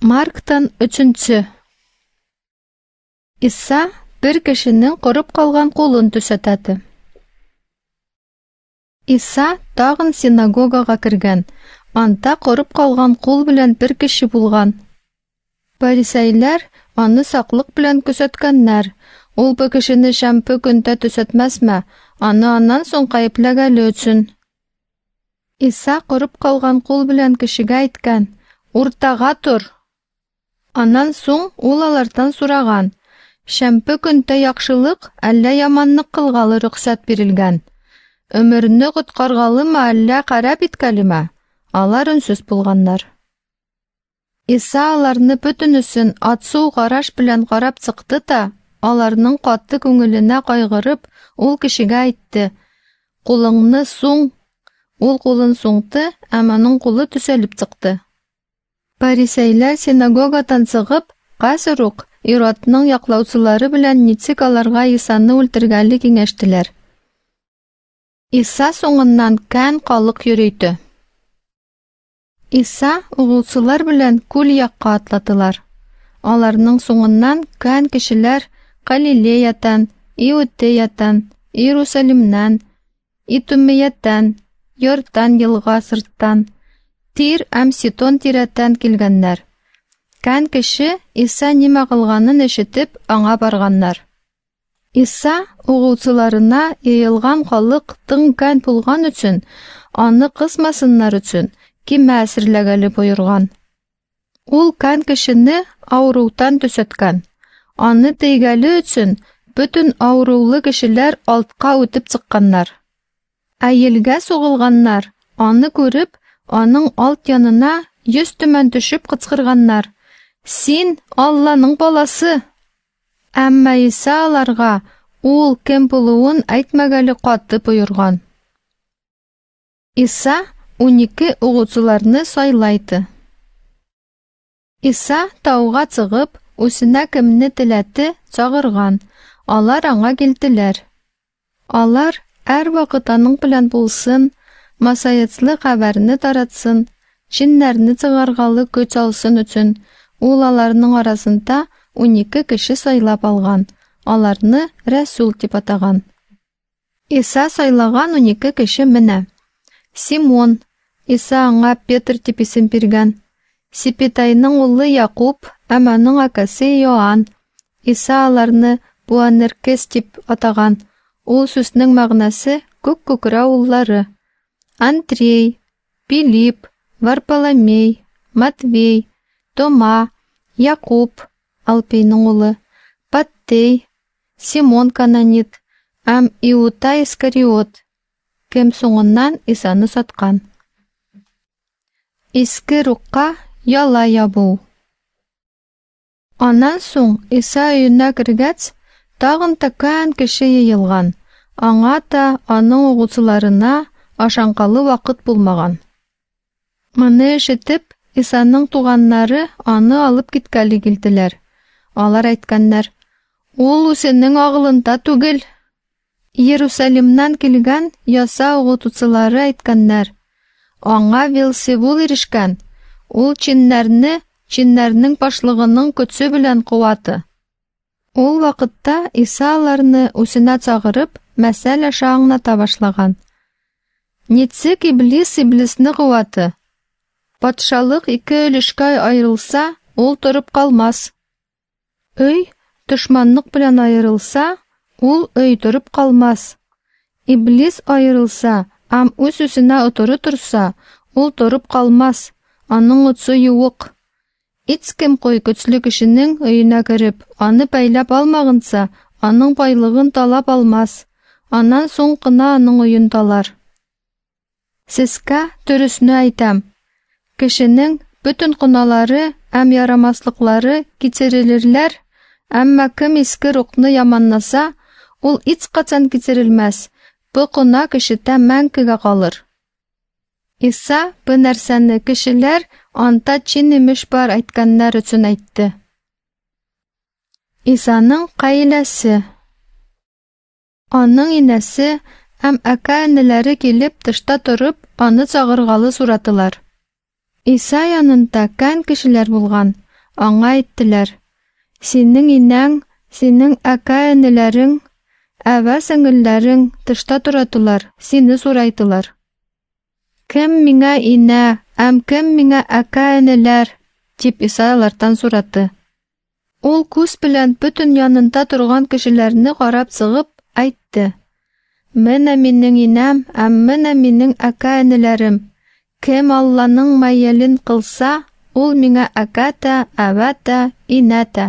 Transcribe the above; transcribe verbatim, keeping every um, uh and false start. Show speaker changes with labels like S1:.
S1: Марктан өченче. Иса бер кешенең корып калган кулын төзәтәде. Иса тагын синагогага кергән. Анда корып калган кул белән бер кеше булган. Фарисейлар аны саклык белән күзәткәннәр. Ул бу кешене шәмбе көндә төзәтмәсме, аны аннан соң гаепләгәле өчен. Иса корып калган кул белән кешегә әйткән: "Уртага тор!" Аннан соң ул алардан сораган: "Шәмбе көндә яхшылык әллә яманлык кылгалы рөхсәт бирелгән? Өмерне коткаргалымы, әллә харап иткәлеме?" Алар өнсез булганнар. Иса аларны бөтенесен ацу караш белән карап чыкты да, аларның каты күңеленә кайгырып, ул кешегә әйтте: "Кулыңны суң!" Ул кулын суңды, һәм аның кулы төзәлеп чыкты. Фарисейлар синагогадан чыгып, хәзер үк Иродның яклаучылары белән ничек аларга Исаны үлтергәле киңәштеләр. Иса соңыннан кән халык йөрөйте. Иса угылчылар белән күл якка атладылар. Аларның соңыннан кән кешеләр Галилеятан, Иудеятан, Иерусалимнан, Итумияттан, Йордан елга сырттан, Тир һәм Сидон тирәтән килгәннәр. Кән кеше Иса нимә кылганын ишетеп, аңа барганнар. Иса угылчыларына йыелган халык тың кән булган өчен, аны кысмасыннар өчен, кимә әзерләгәле боерган. Ул кән кешене авырудан төзәткән. Аны тейгәле өчен бөтен авырулы кешеләр алтка үтеп чыкканнар. Ә елгә сугылганнар, аны күреп, аның алт янына йөз төмән төшеп кычкырганнар: "Син Алланың баласы!" Әмма Иса аларга ул кем булуын әйтмәгәле каты боерган. Иса унике угылчыларны сайлайды. Иса тауга чыгып, үзенә кемне теләде чагырган. Алар аңа килделәр. Алар һәрвакыт аның белән булсын, масаецлы хәбәрне таратсын, җиннәрне чыгаргалы көч алсын өчен, ул аларның арасында унике кеше сайлап алган, аларны рәсүл дип атаган. Иса сайлаган унике кеше менә: Симон, Иса аңа Петр дип исем биргән, Сипитайның улы Якуб һәм аның акасы Иоанн. Иса аларны Буанеркес дип атаган. Ул сүзнең мәгънәсе күк күкрәү уллары. Андрей, Филипп, Варфоломей, Матвей, Тома, Якуб, Алпейның улы, Паттей, Симон Кананит һәм Иуда Искариот, кем соңыннан Исаны саткан. Иске рухка яла ябу. Аннан соң Иса өенә кергәч, тагын та кән кеше йыелган. Аңа та, аның угылчыларына ашанкалы вакыт булмаган. Моны ишетеп, Исаның туганнары аны алып киткәле килделәр. Алар әйткәннәр: "Ул үзенең агылында түгел." Иерусалимнан килгән яса укытучылары әйткәннәр: "Аңа Вилсевул ирешкән. Ул җиннәрне җиннәрнең башлыгының көче белән куаты." Ул вакытта Иса аларны үзенә чагырып, мәсәл аша аңлата башлаган. Ничек иблис иблисне куаты? Патшалык ике өлешкә аерылса, ул торып калмас. Өй дошманлык белән аерылса, ул өй торып калмас. Иблис аерылса һәм үз-үзенә отыры торса, ул торып калмас, аның отсы юк. Һич кем кой көчле кешенең өенә кереп, аны бәйләп алмагынча, аның байлыгын талап алмас. Аннан соң гына аның өен талар. Сезгә дөресне әйтәм: кешенең бөтен гөнаһлары һәм ярамаслыклары кичерелерләр, әмма кем иске рухны яманласа, ул һичкайчан кичерелмәс. Бу гөнаһ кешедә мәңгегә калыр. Иса бу нәрсәне кешеләр анда җен имеш бар әйткәннәр өчен әйтте. Исаның гаиләсе. Аның инәсе һәм әкә-энеләре килеп тышта торып, аны чагыргалы сорадылар. Иса янында кән кешеләр булган. Аңа әйттеләр: Синең инәң, синең әкә-энеләрең, әвә-сеңелләрең тышта торатылар, сине сурайтылар. Кем миңа инә, әм кем миңа әкә-энеләр? Дип Иса алардан сураты. Ул күз белән бөтен янында торган кешеләрне карап чыгып әйтте: Менә минең инәм, әм менә минең әкә-энеләрем. Кем Алланың мәелен кылса, ул миңа әкә тә, әвә тә, инә тә.